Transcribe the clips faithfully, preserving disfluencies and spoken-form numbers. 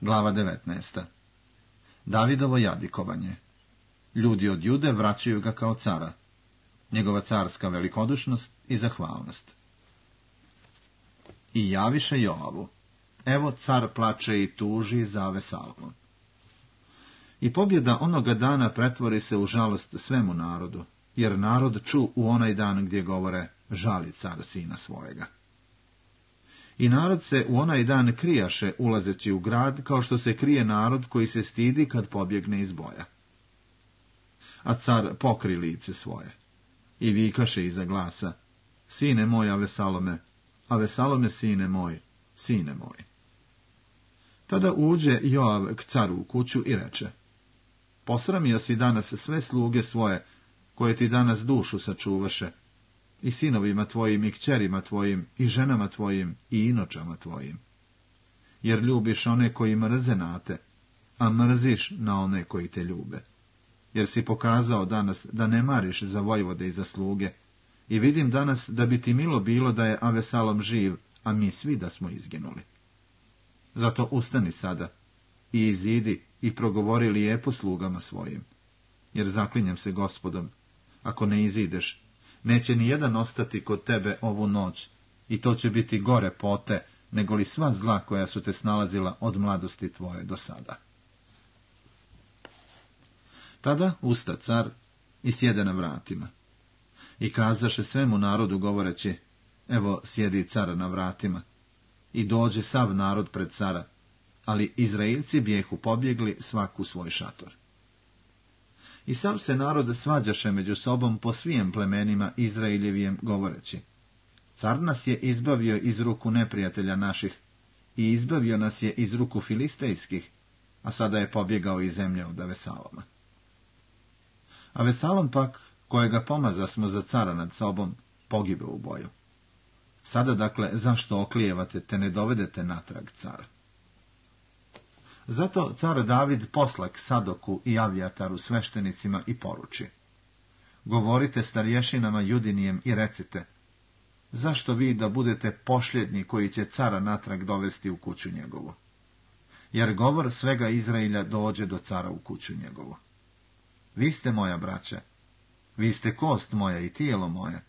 Glava devetnaesta. Davidovo jadikovanje. Ljudi od Jude vraćaju ga kao cara. Njegova carska velikodušnost i zahvalnost. I javiše Joavu. Evo car plače i tuži za Avesalomom. I pobjeda onoga dana pretvori se u žalost svemu narodu, jer narod ču u onaj dan gdje govore, žali car sina svojega. I narod se u onaj dan krijaše ulazeći u grad, kao što se krije narod koji se stidi kad pobjegne iz boja. A car pokri lice svoje i vikaše iza glasa, sine moj Avesalome, Avesalome sine moj, sine moj. Tada uđe Joav k caru u kuću i reče, posramio si danas sve sluge svoje, koje ti danas dušu sačuvaše, i sinovima tvojim, i kćerima tvojim, i ženama tvojim, i inočama tvojim. Jer ljubiš one koji mrze na te, a mrziš na one koji te ljube. Jer si pokazao danas da ne mariš za vojvode i za sluge, i vidim danas da bi ti milo bilo da je Avesalom živ, a mi svi da smo izginuli. Zato ustani sada, i izidi, i progovori lijepo slugama svojim, jer zaklinjem se Gospodom, ako ne izideš, neće ni jedan ostati kod tebe ovu noć, i to će biti gore pote, nego li sva zla koja su te snalazila od mladosti tvoje do sada. Tada usta car i sjede na vratima. I kazaše svemu narodu govoreći, evo sjedi car na vratima. I dođe sav narod pred cara, ali Izraelci bijehu pobjegli svaku svoj šator. I sav se narod svađaše među sobom po svijem plemenima Izraeljevijem govoreći, car nas je izbavio iz ruku neprijatelja naših i izbavio nas je iz ruku filistejskih, a sada je pobjegao iz zemlje od Avesaloma. Avesalom pak, kojega pomaza smo za cara nad sobom, pogibe u boju. Sada dakle, zašto oklijevate te ne dovedete natrag cara? Zato car David posla k Sadoku i Avijataru sveštenicima i poruči, govorite starješinama Judinijem i recite, zašto vi da budete pošljednji koji će cara natrag dovesti u kuću njegovu? Jer govor svega Izraelja dođe do cara u kuću njegovu. Vi ste moja braća, vi ste kost moja i tijelo moje.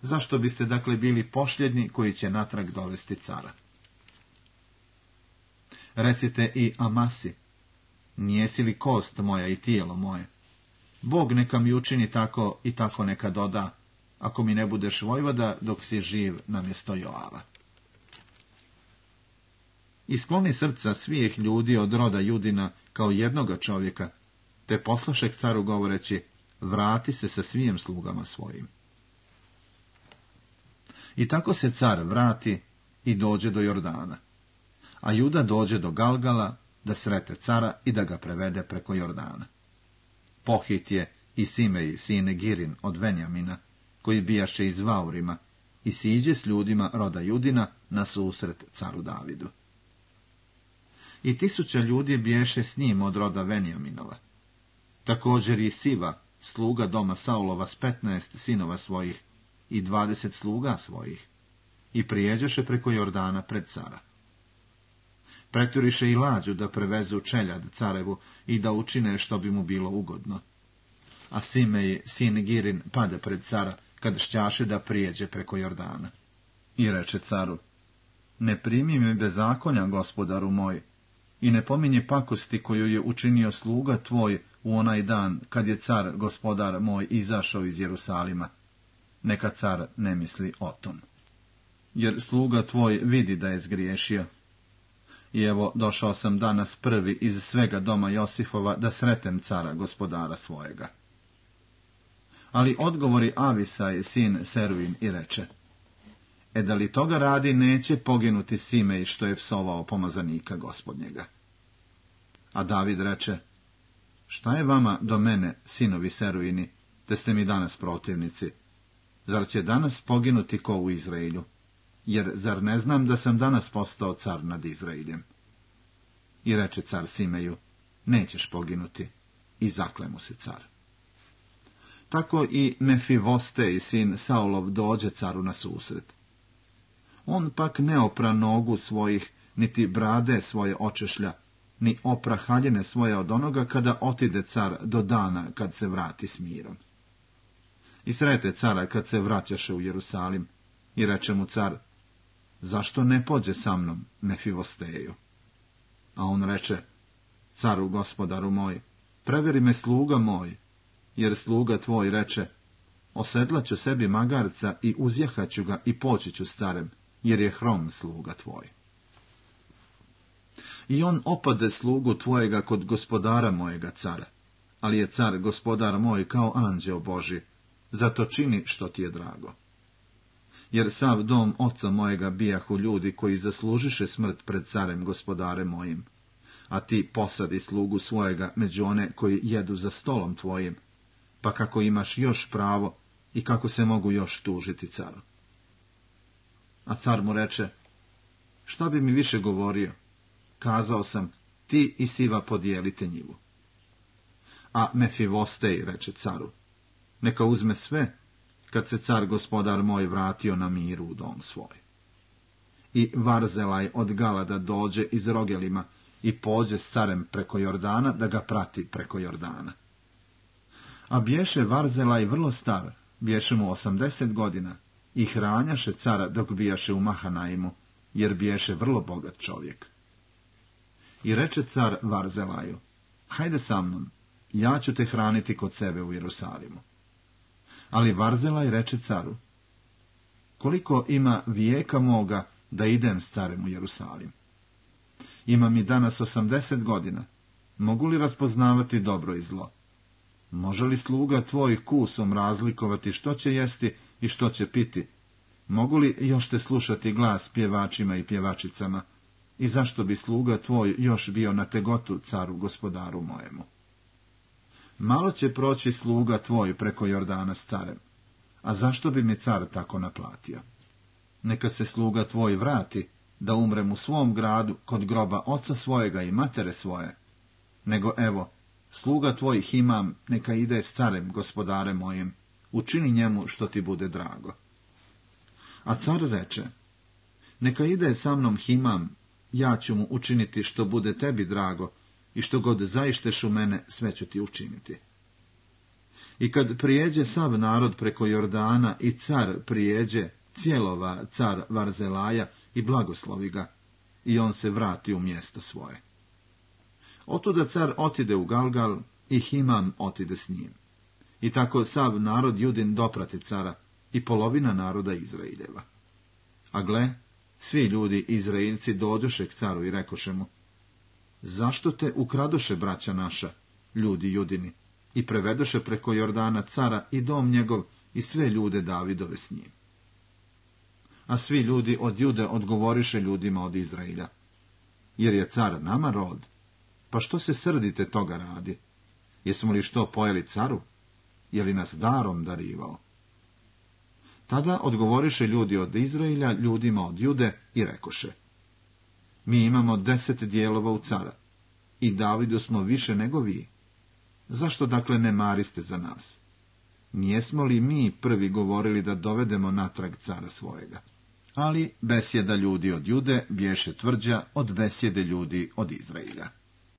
Zašto biste dakle bili pošljedni koji će natrag dovesti cara? Recite i Amasi, nijesi li kost moja i tijelo moje? Bog neka mi učini tako i tako neka doda, ako mi ne budeš vojvoda dok si živ namjesto Joava. I skloni srca svih ljudi od roda Judina kao jednoga čovjeka, te poslaše k caru govoreći, vrati se sa svim slugama svojim. I tako se car vrati i dođe do Jordana, a Juda dođe do Galgala da srete cara i da ga prevede preko Jordana. Pohit je i Simej, sine Girin od Venjamina, koji bijaše iz Vaurima, i siđe s ljudima roda Judina na susret caru Davidu. I tisuća ljudi biješe s njim od roda Venjaminova. Također i Siva, sluga doma Saulova s petnaest sinova svojih i dvadeset sluga svojih, i prijeđoše preko Jordana pred cara. Preturiše i lađu da prevezu čeljad carevu i da učine što bi mu bilo ugodno. A Simej, sin Girin, pada pred cara, kad šćaše da prijeđe preko Jordana. I reče caru, ne primi mi bezakonja, gospodaru moj, i ne pominje pakosti koju je učinio sluga tvoj u onaj dan, kad je car, gospodar moj, izašao iz Jerusalima. Neka car ne misli o tom. Jer sluga tvoj vidi da je zgriješio. I evo, došao sam danas prvi iz svega doma Josifova da sretem cara, gospodara svojega. Ali odgovori Avisaj, sin Seruin, i reče, e da li toga radi, neće poginuti Simej što je psovao pomazanika gospodnjega. A David reče, šta je vama do mene, sinovi Seruini, te ste mi danas protivnici? Zar će danas poginuti ko u Izraelju? Jer zar ne znam da sam danas postao car nad Izraeljem? I reče car Simeju, nećeš poginuti, i zakle mu se car. Tako i Mefivostej, sin Saulov, dođe caru na susret. On pak ne opra nogu svojih, niti brade svoje očešlja, ni opra haljine svoje od onoga kada otide car do dana kad se vrati s mirom. I srete cara kad se vraćaše u Jerusalim, i reče mu car, zašto ne pođe sa mnom Mefivosteju? A on reče, caru gospodaru moj, preveri me sluga moj, jer sluga tvoj reče, osedlaću sebi magarca i uzjahaću ga i poći ću s carem, jer je hrom sluga tvoj. I on opade slugu tvojega kod gospodara mojega cara, ali je car gospodar moj kao anđeo Božji, zato čini što ti je drago. Jer sav dom oca mojega bijahu ljudi koji zaslužiše smrt pred carem gospodarem mojim, a ti posadi slugu svojega među one koji jedu za stolom tvojim, pa kako imaš još pravo i kako se mogu još tužiti caru. A car mu reče, šta bi mi više govorio? Kazao sam, ti i Siva podijelite njivu. A Mefivostej reče caru, neka uzme sve, kad se car gospodar moj vratio na miru u dom svoj. I Varzelaj od Galada dođe iz Rogelima i pođe s carem preko Jordana da ga prati preko Jordana. A bješe Varzelaj vrlo star, bješe mu osamdeset godina, i hranjaše cara dok bijaše u Mahanaimu, jer bješe vrlo bogat čovjek. I reče car Varzelaju, hajde sa mnom, ja ću te hraniti kod sebe u Jerusalimu. Ali Varzelaj reče caru, koliko ima vijeka moga da idem s carem u Jerusalim? Ima mi danas osamdeset godina, mogu li raspoznavati dobro i zlo? Može li sluga tvoj kusom razlikovati što će jesti i što će piti? Mogu li još te slušati glas pjevačima i pjevačicama? I zašto bi sluga tvoj još bio na tegotu caru gospodaru mojemu? Malo će proći sluga tvoj preko Jordana s carem, a zašto bi mi car tako naplatio? Neka se sluga tvoj vrati, da umrem u svom gradu kod groba oca svojega i matere svoje, nego evo, sluga tvoj Himam neka ide s carem gospodarem mojim, učini njemu što ti bude drago. A car reče, neka ide sa mnom Himam, ja ću mu učiniti što bude tebi drago, i što god zaišteš u mene, sve ću ti učiniti. I kad prijeđe sav narod preko Jordana i car prijeđe, cijelova car Varzelaja i blagoslovi ga, i on se vrati u mjesto svoje. Otuda car otide u Galgal i Himam otide s njim. I tako sav narod Judin doprati cara i polovina naroda Izraeljeva. A gle, svi ljudi Izraeljci dođoše k caru i rekoše mu, zašto te ukradoše, braća naša, ljudi Judini, i prevedoše preko Jordana cara i dom njegov i sve ljude Davidove s njim? A svi ljudi od Jude odgovoriše ljudima od Izraelja, jer je car nama rod, pa što se srdite toga radi? Jesmo li što pojeli caru? Je li nas darom darivao? Tada odgovoriše ljudi od Izraelja ljudima od Jude i rekoše, mi imamo deset dijelova u cara, i Davidu smo više nego vi. Zašto dakle ne mariste za nas? Nijesmo li mi prvi govorili da dovedemo natrag cara svojega? Ali besjeda ljudi od Jude bješe tvrđa od besjede ljudi od Izraelja.